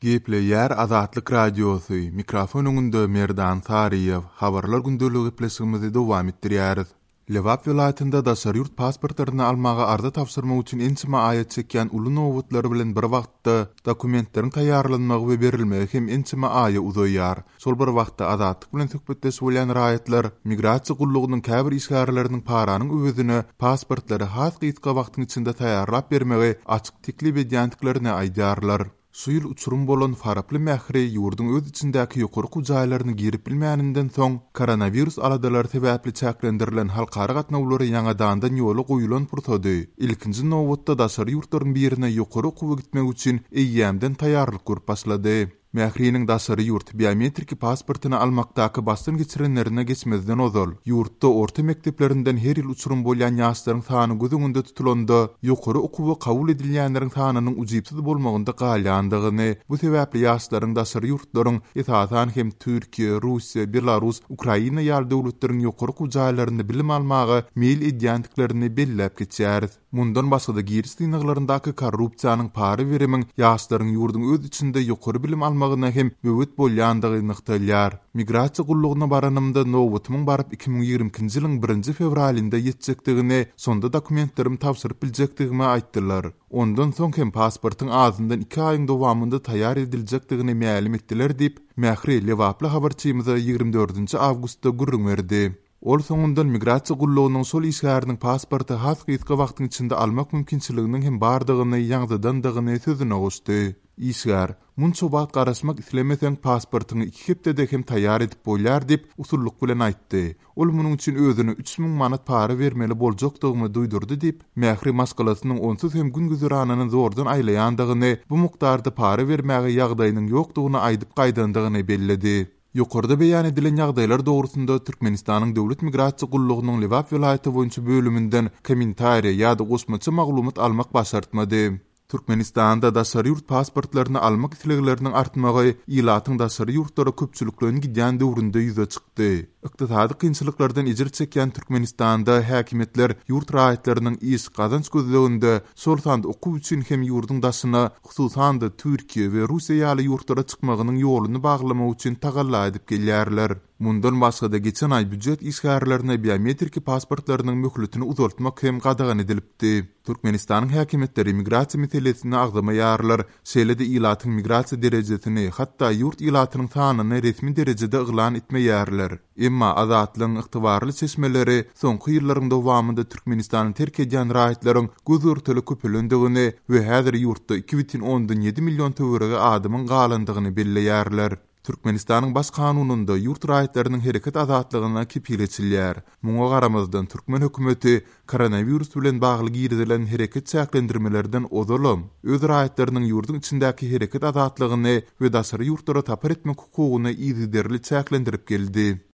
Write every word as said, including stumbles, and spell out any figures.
Gepleýär Azatlyk Radiosy, mikrofon öňünde Merdan Saryýew. Habarlar gündeligi gepleşigimizi dowam etdirýäris. Lebap welaýatynda daşary ýurt pasportlaryny almaga arza tabşyrmak üçin ençeme aýa çekýän uly nobatlar bilen bir wagtda dokumentleriň taýýarlanmagy we berilmegi hem ençeme aýa uzaýar. Şol bir wagtda Azatlyk bilen söhbetdeş bolýan raýatlar migrasiýa gullugynyň käbir işgärleriniň paranyň öwezine pasportlary has gysga wagtyň içinde taýýarlap bermegi açyk teklip edýändiklerini aýdýarlar. Şu ýyl uçurum bolan Faraply Mähri ýurduň öz içindäki ýokary okuw jaýlaryna girip bilmäninden soň, koronawirus aladalary sebäpli çäklendirilen halkara gatnawlary ýaňadandan ýola goýulan pursady, ilkinji nobatda daşary ýurtlaryň birine ýokary okuwa gitmek üçin eýýämden taýýarlyk görüp başlady. Mähriniň daşary ýurt biometriki pasportyny almakdaky başdan geçirenlerine geçmezden ozal, ýurtda orta mekdeplerinden her ýyl uçurum bolýan ýaşlaryň sany göz öňünde tutulanda, ýokary okuwa kabul edilýänleriň sanynyň ujypsyz bolmagynda galýandygyny, bu sebäpli ýaşlaryň daşary ýurtlaryň, esasan hem Türkiýe, Russiýa, Belarus, Ukraina ýaly döwletleriň ýokary okuw jaýlarynda bilim almaga meýil edýändiklerini belläp geçýäris. Mundan başga-da giriş synaglaryndaky korrupsiýanyň para berimiň ýaşlaryň ýurduň öz içinde ýokary bilim almagyna hem böwet bolýandygy nygtalýar. Migrasiýa gullugyna baranymda nobatymyň baryp iki müň ýigrimi ikinji ýylyň birinji fewralynda ýetjekdigini, şonda dokumentlerimi tabşyryp biljekdigimi aýtdylar. Ondan soň hem pasportyň azyndan iki aýyň dowamynda taýýar ediljekdigini mälim etdiler diýip, Mähri Lebaply habarçymyza ýigrimi dördünji awgustda gürrüň berdi. Ol soňundan migrasiýa gullugynyň şol işgäriniň pasporty has gysga wagtyň içinde almak mümkinçiliginiň hem bardygyny ýaňzydandygyny sözüne goşdy. Işgär, munça wagt garaşmak islemeseň pasportyňy iki hepdede hem taýýar edip bolýar diýip, usullyk bilen aýtdy. Ol munuň üçin özüne üç müň manat para bermeli boljakdygymy duýdurdy diýip, Mähri maşgalasynyň onsuz hem gün güzeranyny zordan aýlaýandygyny, bu mukdarda para bermäge ýagdaýynyň ýokdugyny aýdyp gaýdandygyny belledi. Ýokarda beýan edilen ýagdaýlar dogrusynda Türkmenistanyň Döwlet migrasiýa gullugynyň Lebap welaýaty boýunça bölüminden kommentariýa ýa-da goşmaça maglumat almak başartmady. Türkmenistanda daşary ýurt pasportlaryny almak islegleriniň artmagy ilatyň daşary ýurtlara köpçülikleýin gidýän döwründe ýüze çykdy. Ykdysady kynçylyklardan ejir çekýän Türkmenistanda häkimiýetler ýurt raýatlarynyň iş, gazanç gözleginde, şol sanda okuw üçin hem ýurduň daşyna, hususan-da Türkiýe we Russiýa ýaly ýurtlara çykmagynyň ýoluny baglamak üçin tagalla edip gelýärler. Mundan başga-da geçen aý býujet işgärlerine biometriki pasportlarynyň möhletini uzaltmak hem gadagan edilipdi. Türkmenistanyň häkimiýetleri migrasiýa meselesini agzamaýarlar, şeýle-de ilatyň migrasiýa derejesini, hatda ýurt ilatynyň sanyny resmi derejede yglan etmeýärler. Emma Azatlygyň ygtybarly çeşmeleri soňky ýyllaryň dowamynda Türkmenistany terk edýän raýatlaryň göz-görtele köpelendigini we häzir ýurtda iki bütin ondan ýedi million töweregi adamyň galandygyny belleýärler. Türkmenistanyň baş kanunynda ýurt raýatlarynyň hereket azatlygyna kepil geçilýär. Muňa garamazdan türkmen hökümeti koronawirus bilen bagly girizilen hereket çäklendirmelerden ozalam öz raýatlarynyň ýurduň içindäki hereket azatlygyny we daşary ýurtlara sapar etmek hukugyny yzygiderli çäklendirip geldi.